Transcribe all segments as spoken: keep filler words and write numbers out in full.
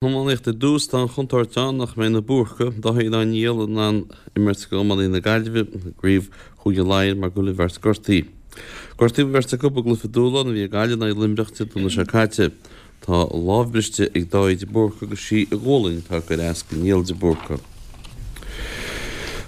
Iománaíocht ar dtús, tá an chontúirt ann nach mbeidh na Búrcaigh, Dáithí Ó Niall, in ann imirt d'iománaithe na Gaillimhe i gCraobh Chúige Laighean mar go bhfuil an bheirt gortaithe. Gortaíodh an bheirt acu i gcluiche dúshláin a bhí ag Gaillimh in aghaidh Luimneach Dé Domhnaigh seo caite. Tá a lámh briste ag Dáithí de Búrca agus sí a ghualainn atá ag cur as do Niall de Búrca.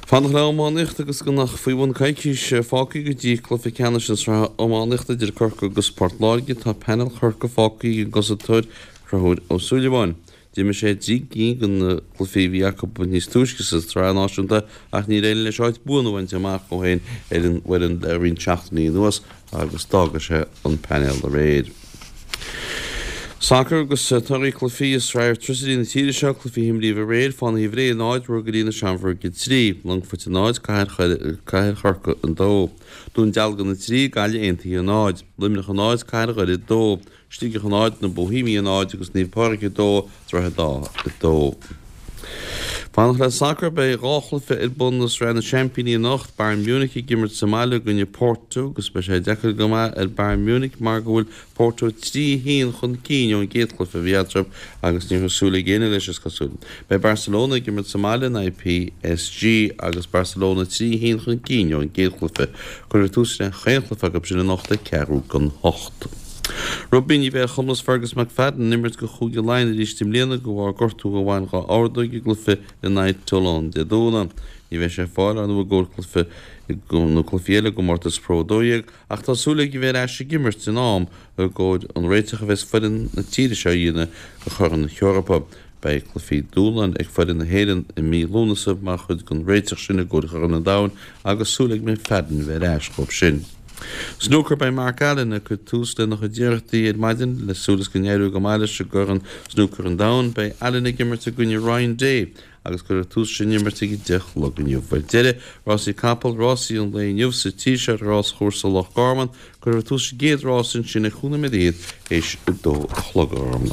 Fanacht le iománaíocht agus gan ach faoi bhun coicís fágtha go dtí cluiche ceannais na sraithe iománaíochta idir Corcaigh agus Port Láirge, tá painéal Chorcaí fágtha ag an gcosantóir Conchúr Ó Súilleabháin. D'imir sé trí cinn de na cluichí a bhí acu níos túisce sa tsraith náisiúnta ach níor éirigh leis áit buan a bhaint amach dó féin ar an bhfoireann le roinnt seachtainí anuas agus d'fhága sé an painéal aréir. Sacar agus torthaí cluichí i Sraith Airtricity na tíre seo, cluichí a imríodh aréir, Fánaithe Bhré a náid, Ruagairí na Seamróige a trí, Longfoirt a náid, Cathair Chorcaí a dó, Dún Dealgan a trí, Gaillimh Aontaithe a náid, Luimneach a náid, Cathair Dhoire a dó, Sligeach a náid, Na Boihéamaigh a náid agus Naomh Pádraig a dó, Droichead Átha a dó. Fanacht le sacar, beidh dhá chluiche ar bun i Sraith na Seaimpíní anocht, Bayern Munich ag imirt sa mbaile i gcoinne Porto agus beidh sé deacair go maith ar Bayern Munich mar go bhfuil Porto trí a haon chun cinn ón gcéad chluiche a bhí eatarthu agus ní raibh súil ag éinne leis is cosúil. Beidh Barcelona ag imirt sa mbaile in aghaidh P S G agus Barcelona trí a haon chun cinn ón gcéad chluiche. Cuirfear tús le chaon chluiche acu sin anocht ag ceathrú don hocht. Rugbaí, ní bheidh ar chumas Fergus McFadden imirt do Chúige Laighean arís i mbliana de bharr gortú a bhain dá ordóg i gcluiche in aghaidh Toulon Dé Domhnaigh. Ní bheidh sé ar fáil ar ndóigh i gcomhair cluiche nó cluichí eile i gcomórtas Pro a dó dhéag ach tá súil aige bheith ar ais ag imirt in am i gcomhair an réiteach a bheas foireann na tíre seo a dhéanamh do Chorn na hEorpa. Beidh cluichí dúshláin ag foireann na hÉireann i mí Lúnasa mar chuid den réiteach sin i gcomhair Chorn an Domhain agus súil ag McFadden bheith ar ais dóibh sin. Snooker, beidh Mark Allen ag cur tús lena chuid iarrachtaí ar maidin le súil is go n-éireoidh go maith leis i gCorn Snooker an Domhain. Beidh Allen ag imirt i gcoinne Ryan Day agus cuirfear tús sin imirt ag deich a chlog inniu. Ar deireadh, rásaí capall, rásaí an lae inniu sa tír seo, ráschúrsa Loch Garman, cuirfear tús sa gcéad rás ansin ag cúig nóiméad théis a dó a chlog orm.